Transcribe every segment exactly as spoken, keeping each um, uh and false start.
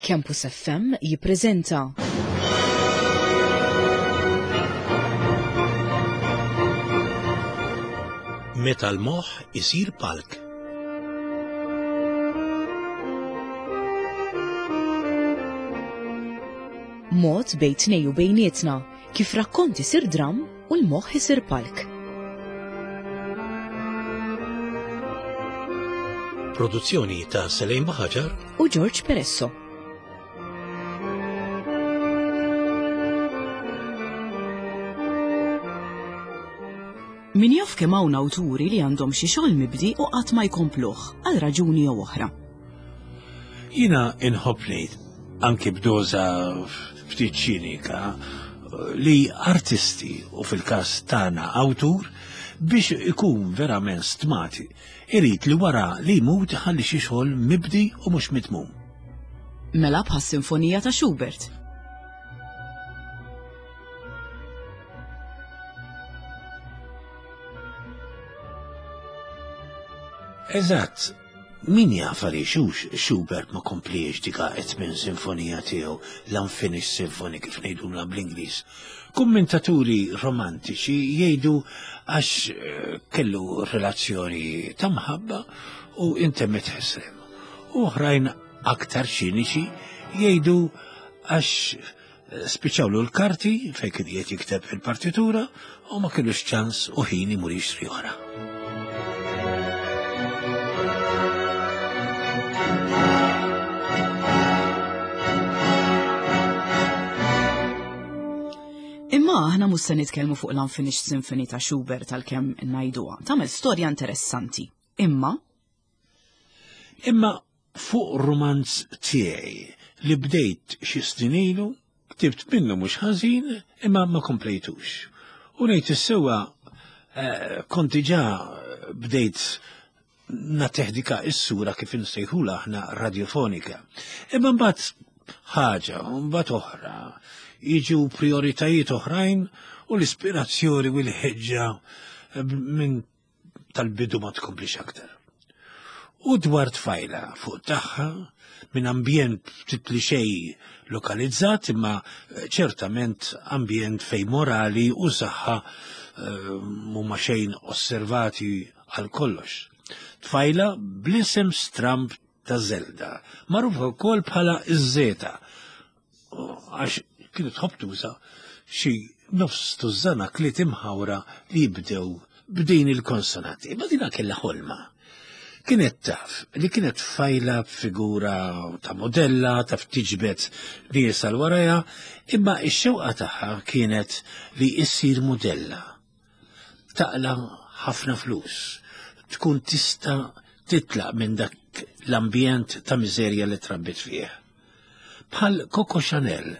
Campus F M jippreżenta Meta l-moħħ isir palk. Mod bejn tnej u bejnietna kif rakkont isir dram u l-moħħ isir palk. Produzzjoni ta' Selejn Baħaġar u George Peresso. Min jaf kemm hawn awturi li għandhom xi xogħol mibdi u qatt ma jkompluh għal raġuni jew oħra. Jiena inħobb ngħid, anki b'doża ftit ċinika, li artisti u fil-każ tagħna awtur biex ikun verament stmat irid li wara li jmut iħalli xi xogħol mibdi u mhux mitmum. Mela bħas-Sinfonija ta' Schubert. Eżatt, min jaf għaliex hux Schubert ma kompliex dika t-tmien sinfonija tiegħu, l-Unfinished Symphony kif ngħidulha bl-Ingliż. Kummentaturi romantiċi jgħidu għax, eh, kellu relazzjoni ta' mħabba u intemmet ħesrem. U oħrajn aktar ċiniċi jgħidu għax, eh, spiċċawlu l-karti fejn kien qiegħed jikteb il-partitura u ma kellux ċans u ħin imur jixtri oħra. Imma aħna mhux se nitkellmu fuq l-Unfinished Symphony ta' Schubert għalkemm ngħiduha. Tagħmel storja interessanti. Imma Imma fuq romanz tiegħi li bdejt xi snin ilu, ktibt minnu mhux ħażin, imma ma komplejtux. U ngħid is-sewwa, eh, kont diġà bdejt nateħdika is-sura kif insejħula aħna radiofonika. Imma mbagħad ħaġa, mbagħad oħra, jiġu prioritajiet oħrajn u l-ispirazzjoni u l-ħeġġa minn tal-bidu ma tkomplix aktar. U dwar tfajla fuq tagħha minn ambjent ftit li xejn lokalizzat, imma ċertament ambjent fej morali u saħħa, eh, mhuma xejn osservati għal kollox. Tfajla bl-isem stramb ta' Zelda, magħrufa wkoll bħala iż-Zeta, għax kienet tħobb tuża xi nofs tużżana kliet imħawra li jibdew b'din il-konsonanti. Imma dina kellha ħolma. Kienet taf li kienet tfajla b'figura ta' modella, taf tiġbed nies għal warajha, imma x-xewqa tagħha kienet li issir modella. Taqla ħafna flus, tkun tista' titlaq minn dak l-ambjent ta' miżerja li trabbit fih. Bħal Coco Chanel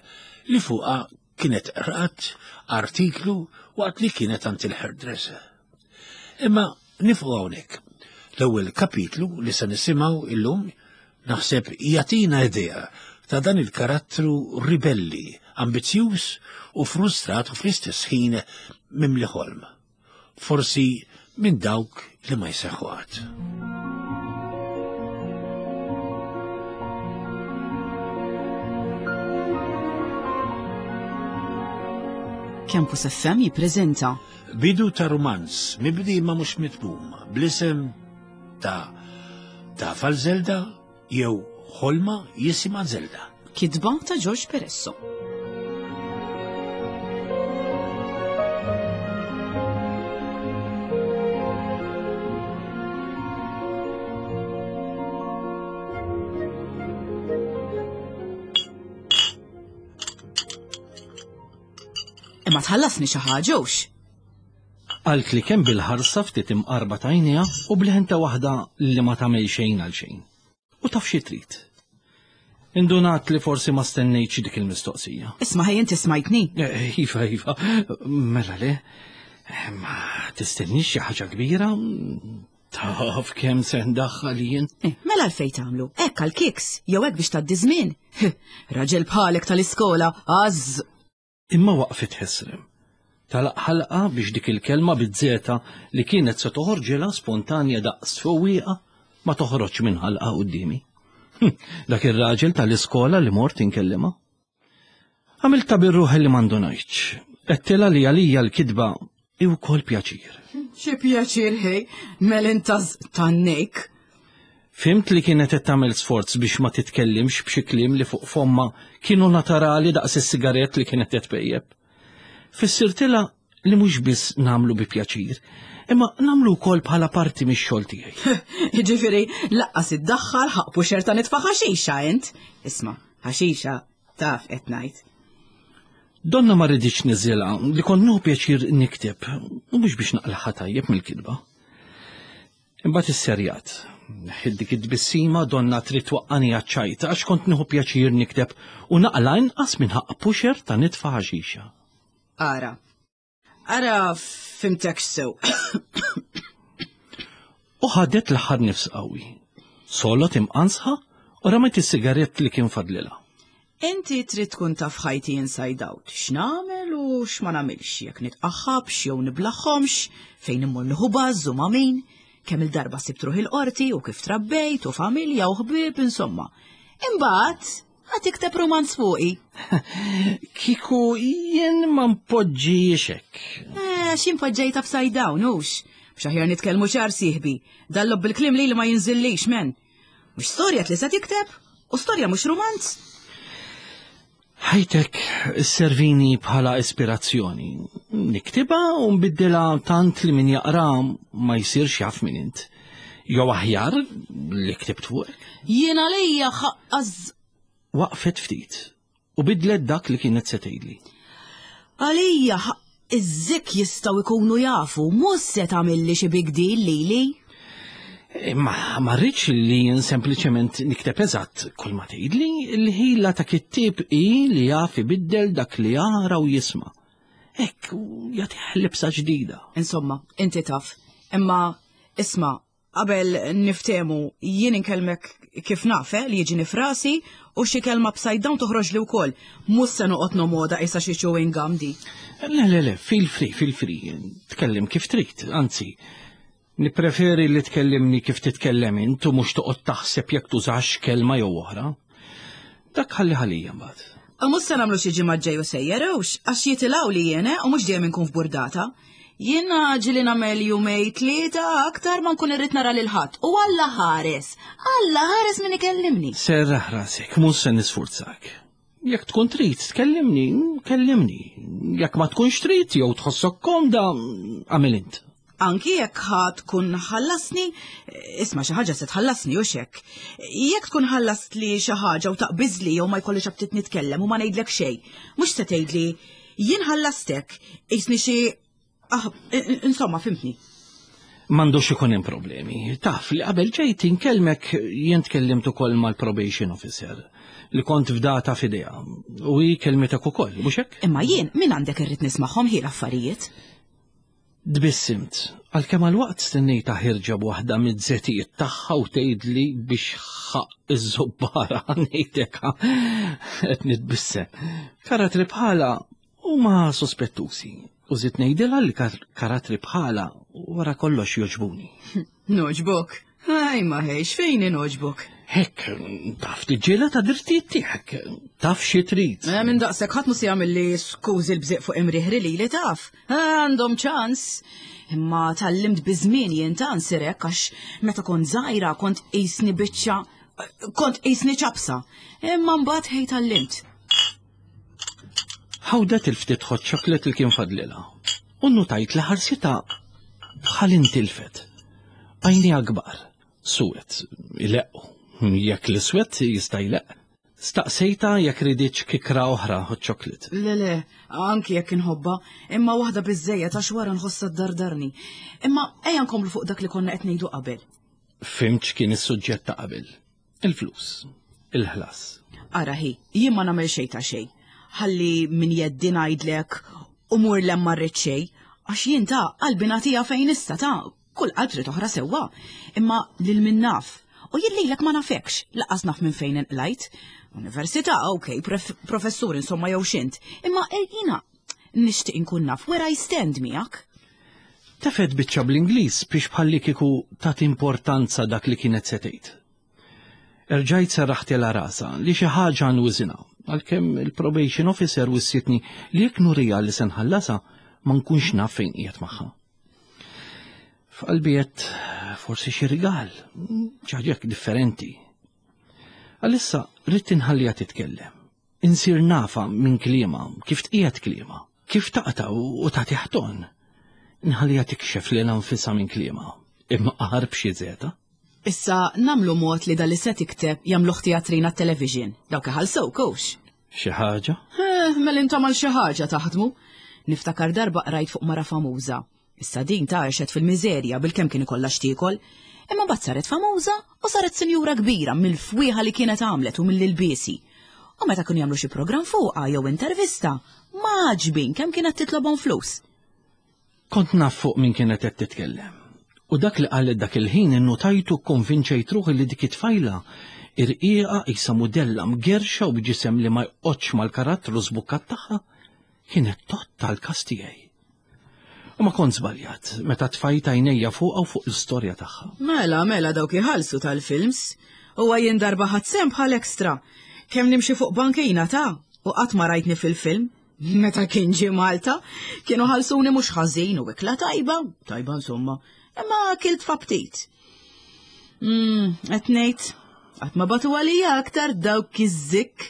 li fuqha kienet qrat artiklu waqt li kienet għand il-hairdresser. Imma nifqu hawnhekk. L-ewwel kapitlu li se nisimgħu illum naħseb jagħtina idea ta' dan il-karattru ribelli, ambizzjuż u frustrat u fl-istess ħin mimli ħolm. Forsi minn dawk li ma jseħħu qatt. Campus F M jippreżenta Bidu ta' romanz mibdi ma mhux mitmum bl-isem ta' Tafal Zelda jew Ħolma jisimha Zelda. Kitba ta' George Peresso. Imma tħallasni xi ħaġa hux? Qalt li kemm bil-ħarsa ftit imqarba tajnija u bliħenta waħda li ma tagħmel xejn għal xejn. U taf xi trid. Indunat li forsi ma stennejtx dik il-mistoqsija. Isma' ħej inti smajtni. Eh, iva, iva, mela le. Eh, ma tistennix xi ħaġa kbira. Taf kemm se ndaħħal jien. Eh, mela għalfejn tagħmlu? Hekk għall-kiks, jew hekk biex tgħaddi żmien. Raġel bħalek tal-iskola, għaż. Imma waqfet ħesrem. Talaq ħalqa biex dik il-kelma biż-żeta li kienet se toħorġilha spontanja daqs fowieqa ma toħroġ minn ħalqa quddiemi. Dak ir-raġel tal-iskola li mort inkellima. Għamilta bir-ruħ li m'għandunajtx. Għedtilha li għalija l-kitba hi wkoll pjaċir. Xi pjaċir ħej, melintaz tannejk. Fhimt li kienet qed tagħmel sforz biex ma titkellimx b'xi kliem li fuq fomma kienu naturali daqs is-sigarett li kienet qed tpejjep. Fissirtilha li mhux biss nagħmlu bi pjaċir, imma nagħmlu wkoll bħala parti mix-xogħol tiegħi. Jiġifieri laqqas iddaħħal ħaqq pusher ta' nitfa' ħaxixa int. Isma', ħaxixa taf qed ngħid. Donna ma riditx niżilha li kont nieħu pjaċir nikteb u mhux biex naqlaħa tajjeb mill-kitba. Imbagħad is-serjat. Dik id-tbissima donna trid twaqqani għaċ-ċajta għax kont nieħu pjaċir nikteb u naqla inqas minn ħaqq pusher ta' nitfa' ħaxixa. Ara. Ara fhimtek sew. U ħadet l-aħħar nifs qawwi. Solot imqansħa u ramet is-sigarett li kien fadlilha. Inti trid tkun taf ħajti inside out. X'nagħmel u x'ma nagħmilx, jekk nitqaħħabx jew niblaħħomx, fejn immur nieħu baż u ma' min, kemm il-darba sibt ruħi l-qorti u kif trabbejt u familja u ħbieb insomma. Imbagħad ħa tikteb romanz fuqi. Kieku jien ma npoġġix hekk. Eh, x'in poġġejt upside down, hux. Biex aħjar nitkellmu ċar sieħbi. Dallob bil-kliem li li ma jinżillix, men. Mhux storja li se tikteb u storja mhux romanz. Ħajtek servini bħala ispirazzjoni. Niktibha u nbiddilha tant li min jaqra ma jsirx jaf min int. Jew aħjar li ktibt fuqek. Jien għalija ħaqqaż Waqfet ftit u bidlet dak li kienet se tgħidli. Għalija ħaqq iż-zik jistgħu jkunu jafu, mhux se tagħmilli xi big deal lili. Imma ma rridx li jien sempliċement nikteb eżatt kull ma tgħidli, il-ħila ta' kittieb hi li jaf ibiddel dak li jara u jisma'. Hekk jagħtih libsa ġdida. Insomma, inti taf. Imma isma' qabel niftemu jien inkellmek kif naf eh, li jiġini f'rasi u xi kelma upside down toħroġ li wkoll. Mhux se noqgħod nomoda issa xi chewing gum di. Le, le, le, feel free, feel free. Tkellem kif trid, anzi. Nippreferi li tkellimni kif titkellem int u mhux toqgħod taħseb jekk tużax kelma jew oħra. Dak ħalli ħalija mbagħad. U mhux se nagħmlu xi ġimgħa ġej u sejjer hux, għax jitilgħu li jien eh, u mhux dejjem inkun f'burdata. Jiena ġieli nagħmel jumej tlieta aktar ma nkun irrid nara lil ħadd. U Alla ħares, Alla ħares min ikellimni. Serraħ rasek, mhux se nisfurzak. Jekk tkun trid tkellimni, kellimni. Jekk ma tkunx trid jew tħossok komda, għamil int. Anki jekk ħa tkun ħallasni, isma' xi ħaġa se tħallasni u xek. Jekk tkun ħallast li xi ħaġa u taqbiżli jew ma jkollix aptit nitkellem u ma ngħidlek xejn, mhux se tgħidli jien ħallastek, qisni xi ah, insomma, fhimtni. M'għandux ikun hemm problemi. Taf li qabel ġejt inkellmek jien tkellimt ukoll mal-probation officer li kont fdata f'idejha u hi kelmitek ukoll, mhux hekk? Imma jien min għandek irrid nismagħhom hi l-affarijiet. Tbissimt, għalkemm għal-waqt stennejta ħirġa b'waħda mid-żetijiet tagħha u tgħidli biex ħaqq iż-żubbara ngħidlek qed nitbissem. Karattri bħala huma sospettusi u żidt ngħidilha li karattri bħala wara kollox jogħġbuni. Nogħġbok. Aj ma ħejx, fejn nogħġbok? Hekk, taf tiġġieled għad-drittijiet tiegħek, taf xi trid. Eh, minn daqshekk ħadd mhux se jagħmel skużi l-bżieq fuq imriħri li li taf. Eh, għandhom ċans. Imma tgħallimt biż-żmien jien ta' nsirek għax meta kont żgħira kont qisni biċċa kont qisni ċapsa. Imma mbagħad ħej tgħallimt. Ħawdet il-ftit hot chocolate li kien fadlilha. U notajt li ħarsita bħal intilfet. Għajnejha kbar, suwed, ileqqu. Jekk l-iswed jista' jleqq. Staqsejta jekk riditx kikra oħra hot chocolate. Le le, anki jekk inħobba, imma waħda biżejjed għax wara nħossha ddardarni. Imma ejja nkomplu fuq dak li konna qed ngħidu qabel. Fhimt x'kien is-suġġett ta' qabel. Il-flus, il-ħlas. Ara hi, jien ma nagħmel xejn ta' xejn. Ħalli min jeddi ngħidlek u mur lem ma rrid xejn, għax jien ta' qalbi nagħtiha fejn issa ta' kull qalb trid oħra sewwa. Imma lil min naf. U jien lilek ma nafekx, lanqas naf minn fejn inqlajt. Università, ok, professur insomma jew xint. Imma jiena nixtieq inkun naf where I stand miegħek. Tefgħet biċċa bl-Ingliż biex bħalli kieku tat importanza dak li kienet se tgħid. Erġajt serraħtilha rasha li xi ħaġa nwiżinha, għalkemm il-probation officer wissietni li jekk nurija li se nħallasha ma nkunx naf fejn qiegħed magħha. F'qalbi għedt forsi xi rigal, xi ħaġa differenti. Għalissa ridt inħalliha titkellem. Insir nafha minn kliemha, kif tqiegħed kliemha, kif taqta' u tagħti ħton. Nħalliha tikxef lilha nfisha minn kliemha, imma qahar b'xi zeta. Issa nagħmlu mod li dal se tikteb jagħmluh teatrina television. Dawk iħallsuk hux. Xi ħaġa? Eh, mela intom għal xi ħaġa taħdmu. Niftakar darba qrajt fuq mara famuża. Issa din ta' għexet fil-miżerja bil-kemm kien ikollha x'tiekol. Imma mbagħad saret famuża u saret sinjura kbira mill-fwieħa li kienet għamlet u mill-ilbiesi. U meta kienu jagħmlu xi programm fuqha jew intervista, maġbin kemm kienet titlobhom flus. Kont naf fuq min kienet qed titkellem. U dak li qalet dak il-ħin innotajtu konvinċejt ruħi li dik it-tfajla irqiqa qisha mudella mgerxa u b'ġisem li ma jqgħodx mal-karattru żbukkat tagħha kienet totta l-kas tiegħi. U ma kont żbaljat meta tfajt għajnejja fuqha u fuq l-istorja tagħha. Mela, mela dawk iħallsu tal-films. U jien darba ħadt sehem bħal extra. Kemm nimxi fuq bankina ta' u qatt ma rajtni fil-film. Meta kien ġie Malta, kienu ħalsuni mhux ħażin u ikla tajba, tajba insomma, imma kilt f'aptit. Mm, qed ngħid, qatt ma bagħtu għalija aktar dawk iż-żikk.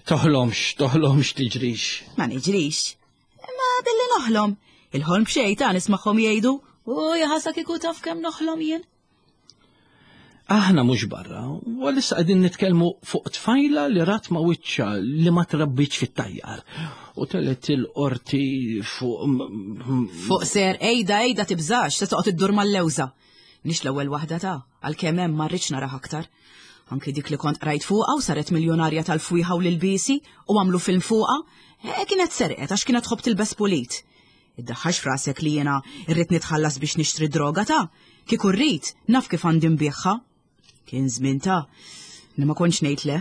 Toħlomx, toħlomx tiġrix. Ma niġrix. Imma billi noħlom. Il-ħolm b'xejn ta' nismagħhom jgħidu, u jaħasra kieku taf kemm noħlom jien. Aħna mhux barra, u għalissa qegħdin nitkellmu fuq tfajla li rat ma' wiċċha li ma trabbitx fit-tajjar. U telgħet il-qorti fuq. Fuq ser, ejda, ejda tibżax, se toqgħod iddur mal-lewża. Nix l-ewwel waħda ta' għalkemm hemm ma rridx naraha aktar. Anki dik li kont qrajt fuqha u saret miljonarja tal-fwieħa u l-ilbiesi u għamlu film fuqha, eh, kienet serqet għax kienet tħobb tilbes pulit. Iddaħħax frasek li jiena irrid nitħallas biex nixtri droga ta' kieku rrid naf kif għandi nbiegħha. Kien żmien ta' li ma kontx ngħid le,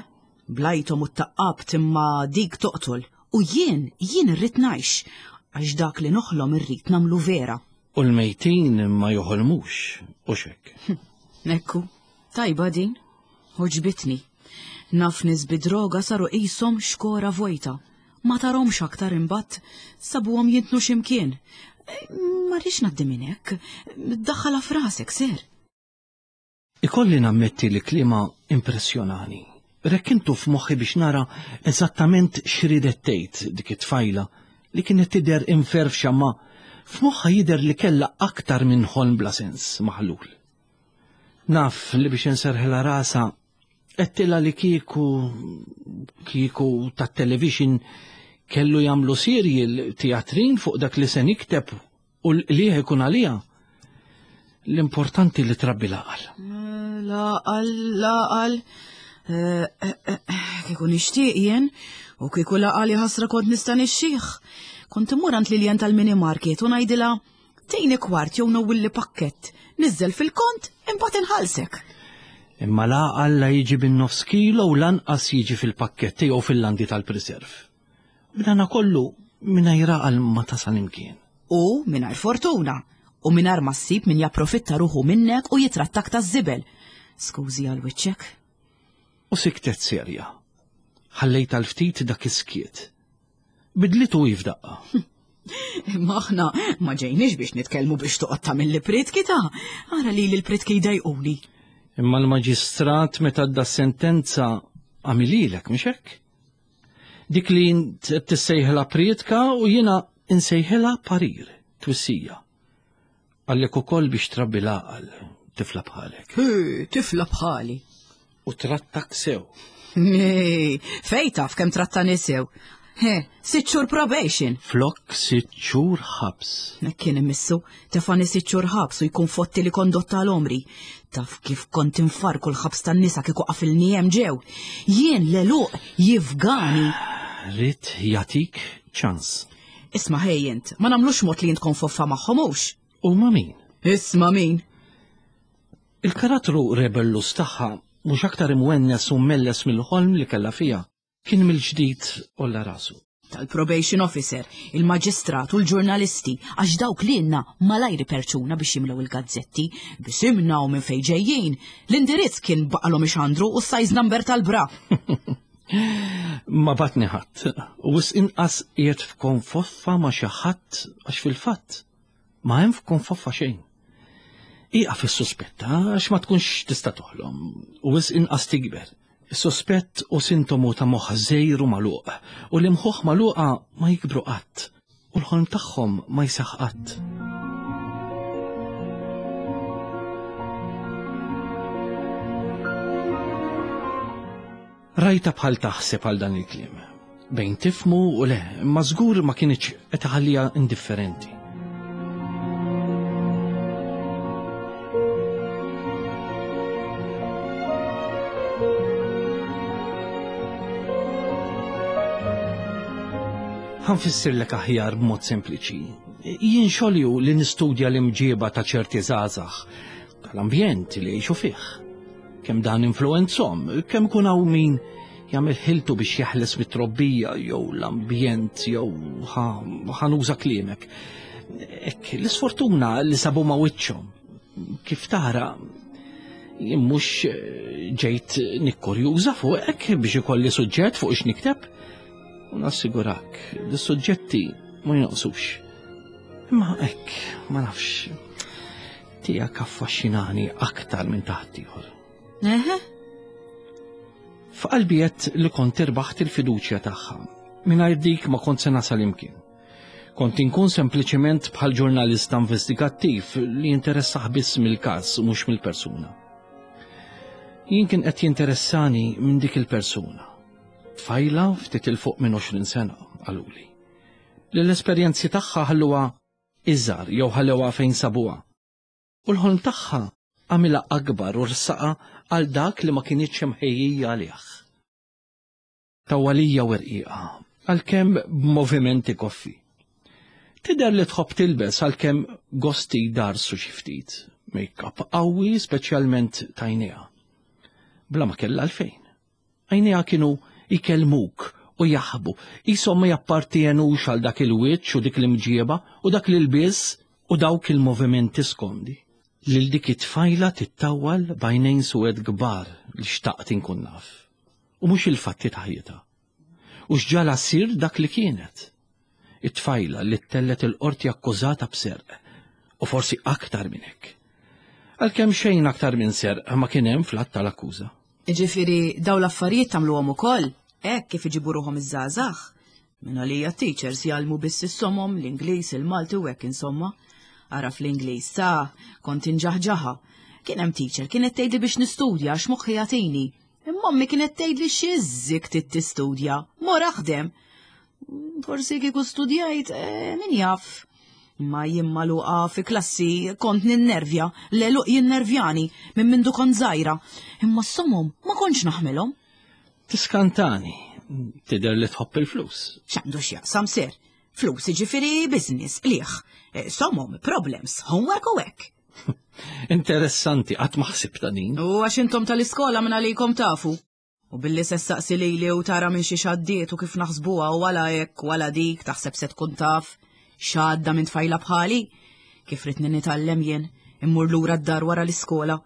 blajthom u taqqabt imma dik toqtol. U jien, jien irrid ngħix, għax dak li noħlom irrid nagħmlu vera. U l-mejtin ma joħolmux, u xek. Ekku, tajba din, għoġbitni. Naf nies bid-droga saru qishom xkora vojta. Ma tarahomx aktar imbagħad sabuhom jintnu x'imkien. Ma rridx ngħaddi minn hekk, daħħalha f'rasek ser. Ikolli nammetti li kliemha impressjonani. Rekkintu f'moħħi biex nara eżattament x'ridet tgħid dik it-tfajla li kienet tidher imferfxa ma f'moħħha jidher li kellha aktar minn ħolm bla sens maħlul. Naf li biex inserħilha rasha għedtilha li kieku kieku tat-television kellu jagħmlu serial teatrin fuq dak li se nikteb u l-qligħ ikun għalija. L-importanti li trabbi l-għaqal. L-għaqal, l-għaqal. Eh, eh, eh, Kieku nixtieq jien, u kieku l-għaqal ħasra kont nista' nixxih. Kont immur għand Lilian tal-mini market u ngħidilha tini kwart jew nowwilli pakkett, niżżel fil-kont imbagħad inħallsek. Imma l-għaqal la jiġi bin-nofs kilo u lanqas jiġi fil-pakketti jew fil-landi tal-preserve. B'dana kollu mingħajr għaqal ma tasal imkien. U mingħajr fortuna, u mingħajr ma ssib min japprofitta ruħu minnek u jitrattak ta' żibel. Skużi għal wiċċek. U siktet serja. Ħallejt għal ftit dak is-skiet. Bidlitu hi f'daqqa. Imma aħna ma ġejniex biex nitkellmu biex toqgħod tagħmel li pritki ta' ara li l-pritki jdejquni. Imma l-maġistrat meta da sentenza għamililek, mhux hekk? Dik li int tissejħilha pritka u jiena insejħilha parir, twissija. Għallek ukoll biex trabbi l-għaqal, tifla bħalek. Hi, tifla bħali. U trattak sew. Nej, fej taf kemm trattani sew. He, sitt xhur probation. Flok sitt xhur ħabs. Nek kien imissu, tefani sitt xhur ħabs u jkun fotti li kondotta l-omri. Taf kif kont infarku l-ħabs tan-nisa kieku qafilni hemm ġew. Jien l-għeluq jifgani. Ridt jagħtik ċans. Isma' ħej int, ma nagħmlux mod li jint konfoffa magħhom hux. U ma min? Isma' min? Il-karattru rebellus tagħha mhux aktar imwennes u melles mill-ħolm li kellha fiha. Kien mill-ġdid għolla rasu. Tal-probation officer, il-maġistrat u l-ġurnalisti, għax dawk li jenna malajri perċuna biex jimlew il-gazzetti, bisimna u minn fejn ġejjin. L-indirizz kien baqalhom ixandru u s-size number tal-bra. Ma batni ħadd, u wisq inqas qiegħed f'konfoffa ma' xi ħadd għax fil-fatt ma hemm f'konfoffa xejn. Ieqaf is-suspetta għax ma tkunx tista' toħlom u wisq inqas tikber. Is-sospett u sintomu ta' moħħ żejr u magħluq u l-imħuħ magħluqa ma jikbru qatt u l-ħolm tagħhom ma jseħħ qatt. Rajta bħal taħseb għal dan il-kliem. Bejn tifmu u le, ma żgur ma kienx qed iħalliha indifferenti. Ħanfissirlek aħjar b'mod sempliċi. Jien xogħli hu li nistudja l-imġieba ta' ċerti żgħażagħ tal-ambjent li jgħixu fih. Kemm dan influenzhom, kemm ikun hawn min jagħmel ħiltu biex jeħles mit-trobbija jew l-ambjent jew ħanuża kliemek. Hekk l-isfortuna li sabu ma' wiċċhom. Kif tara, jien mhux ġejt nikkurjuża fuqek biex ikolli suġġett fuq ix nikteb. U nassigurak, l-suġġetti ma jonqsux. Imma hekk, ma nafx, tiegħek affaxxinani aktar minn taħt ieħor. Eħe? F'qalbi għedt li kont irbaħt il-fiduċja tagħha. Mingħajr dik ma kont se nasal imkien. Kont inkun sempliċement bħal ġurnalista investigattiv li jinteressah biss mill-każ u mhux mill-persuna. Jien kien qed jinteressani minn dik il-persuna. Tfajla ftit il fuq minn għoxrin sena, qaluli. Li l-esperjenzi tagħha ħalluha iżgħar jew ħallewha fejn sabuha. U l-ħolm tagħha għamilha akbar u rsaqa għal dak li ma kienitx imħejjija għalih. Tawwalija u rqiqa, għalkemm b'movimenti koffi. Tidher li tħobb tilbes għalkemm gosti darsu xi ftit, make-up qawwi speċjalment tajnejha. Bla ma kellha għalfejn. Għajnejha kienu jkellmuk u jaħbu, qishom ma jappartienux għal dak il-wiċċ u dik l-imġieba u dak l-ilbies u dawk il-movimenti skomdi. Lil dik it-tfajla tittawwal b'għajnejn suwed kbar li xtaqt inkun naf. U mhux il-fatti ta' ħajjitha. U x'ġala ssir dak li kienet. It-tfajla li ttellet il-qorti akkużata b'serq, u forsi aktar minn hekk. Għalkemm xejn aktar minn serq ma kien hemm fl-att tal-akkuża. Jiġifieri dawn l-affarijiet tagħmluhom ukoll, hekk kif iġibu ruħhom iż-żgħażagħ. Minn għalija t-teachers jgħallmu biss is-somom, l-Ingliż, il-Malti u hekk insomma. Ara fl-Ingliż, sa, kont inġaħġaħa. Kien hemm teacher kienet tgħidli biex nistudja għax moħħi jagħtini. Imma ommi kienet tgħidli xi żżik trid tistudja, mor aħdem. Forsi kieku studjajt, eh, min jaf. Ma jien magħluqa fi klassi kont ninnervja, l-għeluq jinnervjani minn mindu kont żgħira. Imma s-somom ma kontx naħmilhom. Tiskantani, tidher li tħobb il-flus. X'għandu x'jaqsam ser? Flus jiġifieri business, qligħ. Somom, problems, homework u hekk. Interessanti, qatt ma ħsibta din. U għax intom tal-iskola minn għalikom tafu. U billi se ssaqsi lili u tara minn xi xaddiet u kif naħsbuha u wala hekk wala dik taħseb se tkun taf. X'għadda minn tfajla bħali? Kif ridni nitgħallem jien, immur lura d-dar wara l-iskola.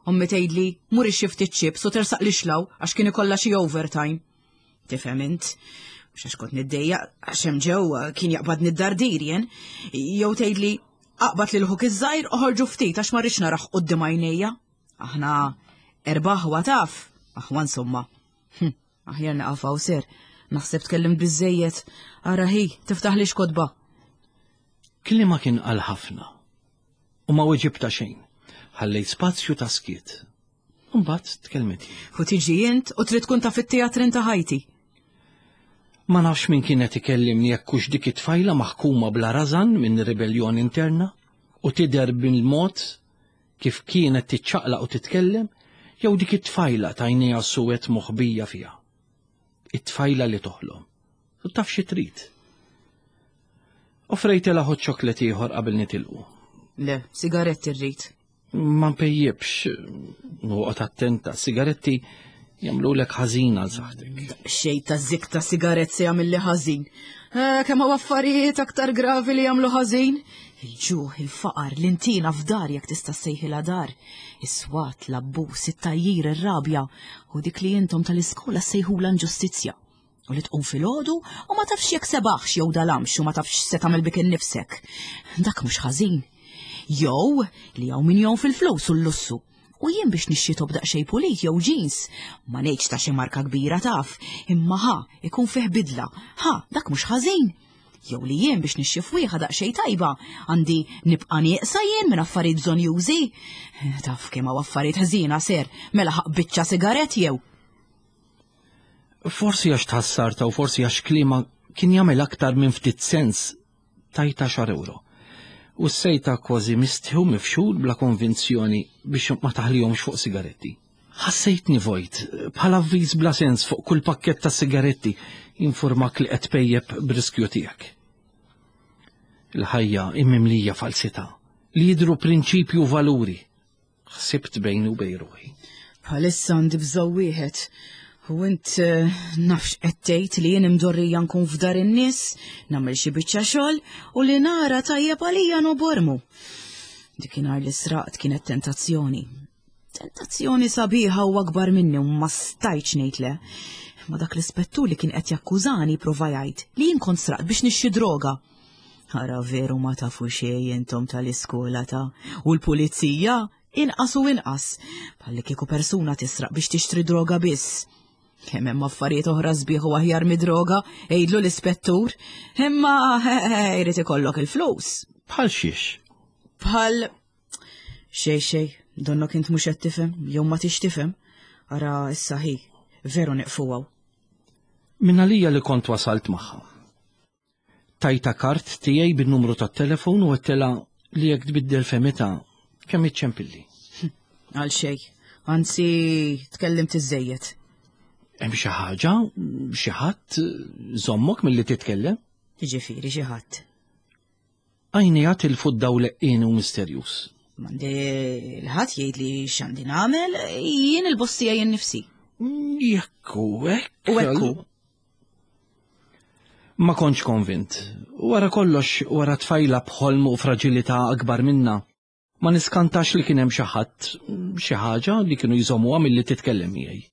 Ommi tgħidli mur ixxi ftit chips u tersaq li xlaw għax kien ikollha xi overtime. Tifhem int, mhux għax kont niddejjaq għax hemm ġewwa kien jaqbadni d-dardir jien, jew tgħidli aqbad lil ħuk iż-żgħir u ħorġu ftit għax ma rridx naraħ quddiem għajnejja. Aħna erba' aħwa taf, aħwa insomma. Hm, aħjar nieqaf hawn ser, naħseb tkellimt biżżejjed, ara hi, tiftaħlix kotba. Kliema kien qal ħafna u ma weġibta xejn. Ħallejt spazju ta' skiet. Mbagħad tkellmet. U tiġi int u trid tkun taf it-teatrin ta' ħajti. Ma nafx min kienet ikellimni jekk hux dik it-tfajla maħkuma bla rażan minn ribellion interna u tidher bil-mod kif kienet tiċċaqlaq u titkellem, jew dik it-tfajla tajnejha suwed moħbija fiha. It-tfajla li toħlom. U taf xi trid. Offrejtilha hot chocolate ieħor qabel nitilqu. Le, sigaretti rrid. Ma npejjibx, noqgħod attenta, sigaretti Jagħmlulek ħażin għal saħħtek. Xejn ta' zik ta' sigarett se jagħmilli ħażin. Eh, kemm hawn affarijiet aktar gravi li jagħmlu ħażin. Il-ġuħ, il-faqar, l-intina f'dar jekk tista' ssejħilha dar. Is-swat, l-abbuż, it-tajjir, ir-rabja u dik li intom tal-iskola ssejħulha inġustizzja. U li tqum filgħodu u ma tafx jekk sebaħx jew dalamx u ma tafx se tagħmel bik innifsek. Dak mhux ħażin. Jew li hawn min jew fil-flus u l-lussu. U jien biex nixxi top daqsxejn pulit jew jeans, ma ngħidx ta' xi marka kbira taf, imma ħa ikun fih bidla, ħa dak mhux ħażin. Jew li jien biex nixxi fwieħa daqsxejn tajba, għandi nibqa' nieqsa jien minn affarijiet bżonjużi. Taf kemm hawn affarijiet ħżiena ser, mela ħaq biċċa sigarett jew. Forsi għax tħassarta u forsi għax kliema kien jagħmel aktar minn ftit sens tajta xar euro. U s-sejta kważi mistħu mifxul bla konvinzjoni biex ma taħlihomx fuq sigaretti. Ħassejtni vojt, bħala avviż bla sens fuq kull pakkett ta' sigaretti informak li qed pejjeb b'riskju tiegħek. Il-ħajja immimlija falsità li jidhru prinċipju u valuri. Ħsibt bejni u bejn ruħi. Bħalissa għandi bżonn wieħed. U int eh, nafx qed tgħid li jien imdorrija nkun f'dar in-nies, nagħmel xi biċċa xogħol u li nara tajjeb għalija nobormu. Dikinhar li sraqt kienet tentazzjoni. Tentazzjoni sabiħa u akbar minni u ma stajtx ngħid le. Ma dak l-ispettur li kien qed jakkużani prova jgħid li jien kont sraqt biex nixxi droga. Ara veru ma tafu xejn intom tal-iskola ta' u l-pulizija inqas u inqas. Bħalli kieku persuna tisraq biex tixtri droga biss. Kemm hemm affarijiet oħra sbieħ u aħjar mid-droga, għidlu l-ispettur, imma jrid ikollok il-flus. Bħal xiex? Bħal xej xej, donnok int mhux qed tifhem, jew ma tix tifhem. Ara issa hi, veru nieqfu hawn. Min għalija li kont wasalt magħha. Tajta kart tiegħi bin-numru tat-telefon u għedtilha li jekk tbiddel femita kemm iċċempilli. Għal xej, anzi tkellimt iżejjed. Hemm xi ħaġa, xi ħadd żommok milli titkellem? Jiġifieri xi ħadd. Għajnejha tilfu d-dawl leqqien u misterjuż. M'għandi l-ħadd jgħid li x'għandi nagħmel, jien il-bossija jien nifsi. Jekk hu hekk. U hekk hu. Ma kontx konvint. Wara kollox, wara tfajla b'ħolm u fraġilità akbar minna, ma niskantax li kien hemm xi ħadd, xi ħaġa li kienu jżommuha milli titkellem miegħi.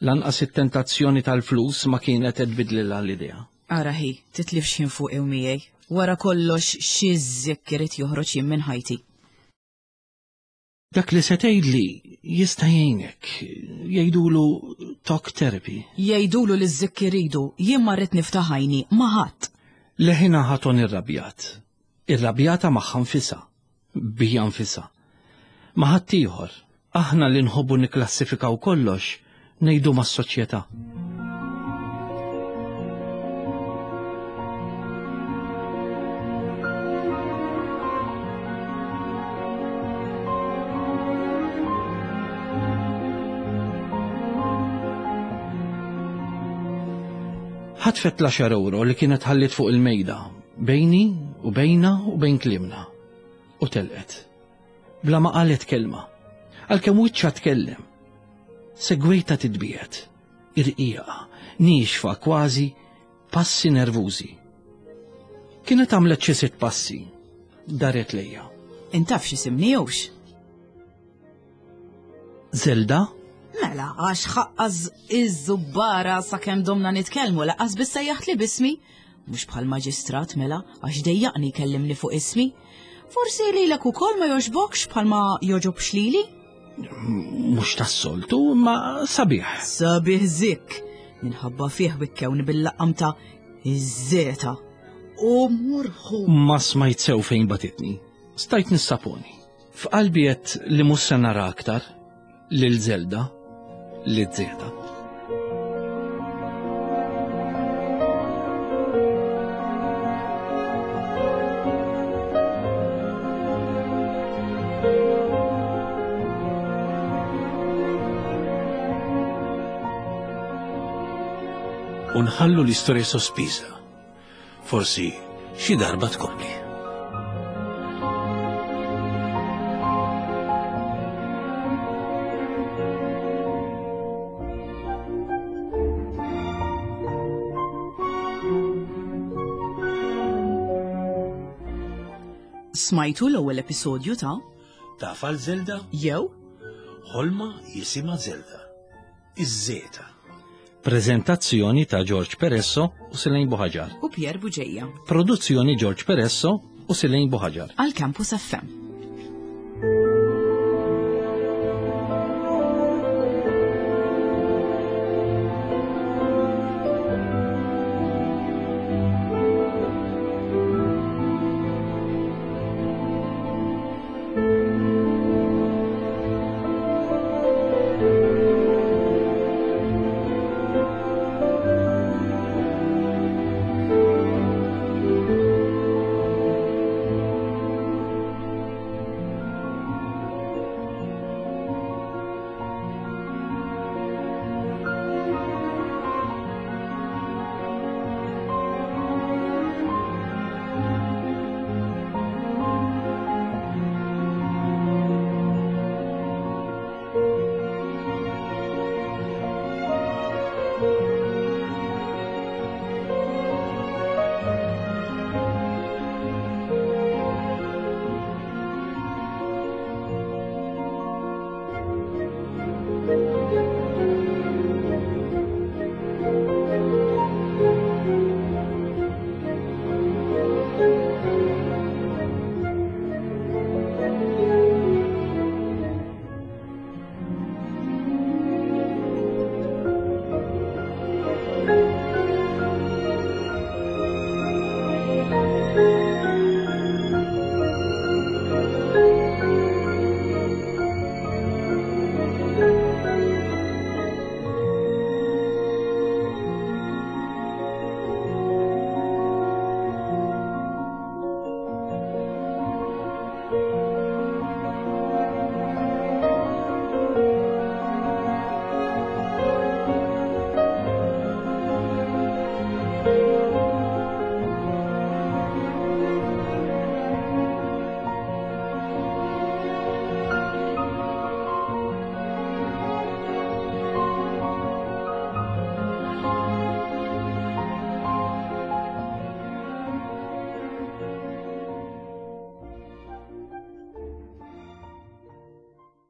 Lanqas it-tentazzjoni tal-flus ma kienet qed tbidlilha l-idea. Ara hi, titlifx ħin fuqi u miegħi. Wara kollox xi żikk irid joħroġ jien minn ħajti. Dak li se tgħidli jista' jgħinek, jgħidulu talk therapy. Jgħidulu li żikk iridu, jien ma rrid niftaħ għajni ma ħadd. Leħinha ħaton irrabjat. Irrabjata magħha nfisha, bija nfisha. Ma ħadd ieħor, aħna li nħobbu nikklassifikaw kollox, ngħidu mas-soċjetà. Ħatfet l-għaxar euro li kienet ħallit fuq il-mejda, bejni u bejna u bejn kliemna. U telqet. Bla ma qalet kelma. Għalkemm wiċċha tkellem. Segwejta titbiet, irqiqa, niexfa kważi, passi nervużi. Kienet għamlet xi sitt passi, daret lejja. Intaf x'isimni jewx? Zelda? Mela, għax ħaqqaż iż-żubbara sakemm domna nitkellmu laqas biss sejjaħt li bismi. Mhux bħal maġistrat mela, għax dejjaqni jkellimni fuq ismi. Forsi lilek ukoll ma jogħġbokx bħalma jogħġobx lili? Mhux tas-soltu, ma sabiħ. Sabiħ zik. Minħabba fih wikkewni bil-laqqam ta' iż-żeta. U murħu. Ma smajt sew fejn batitni. Stajt nissaponi. F'qalbi qed li mhux se nara aktar lil Zelda, lil Zeta. U nħallu l-istorja sospiża. Forsi xi darba tkompli. Smajtu l-ewwel episodju ta' Taf għal Zelda? Jew Ħolma jisimha Zelda. Iż-Żeta. Prezentazzjoni ta' George Peresso u Silejn Buħaġar. U Pier Buġeja. Produzzjoni George Peresso u Silejn Buħaġar. Għal Campus F M. Thank you.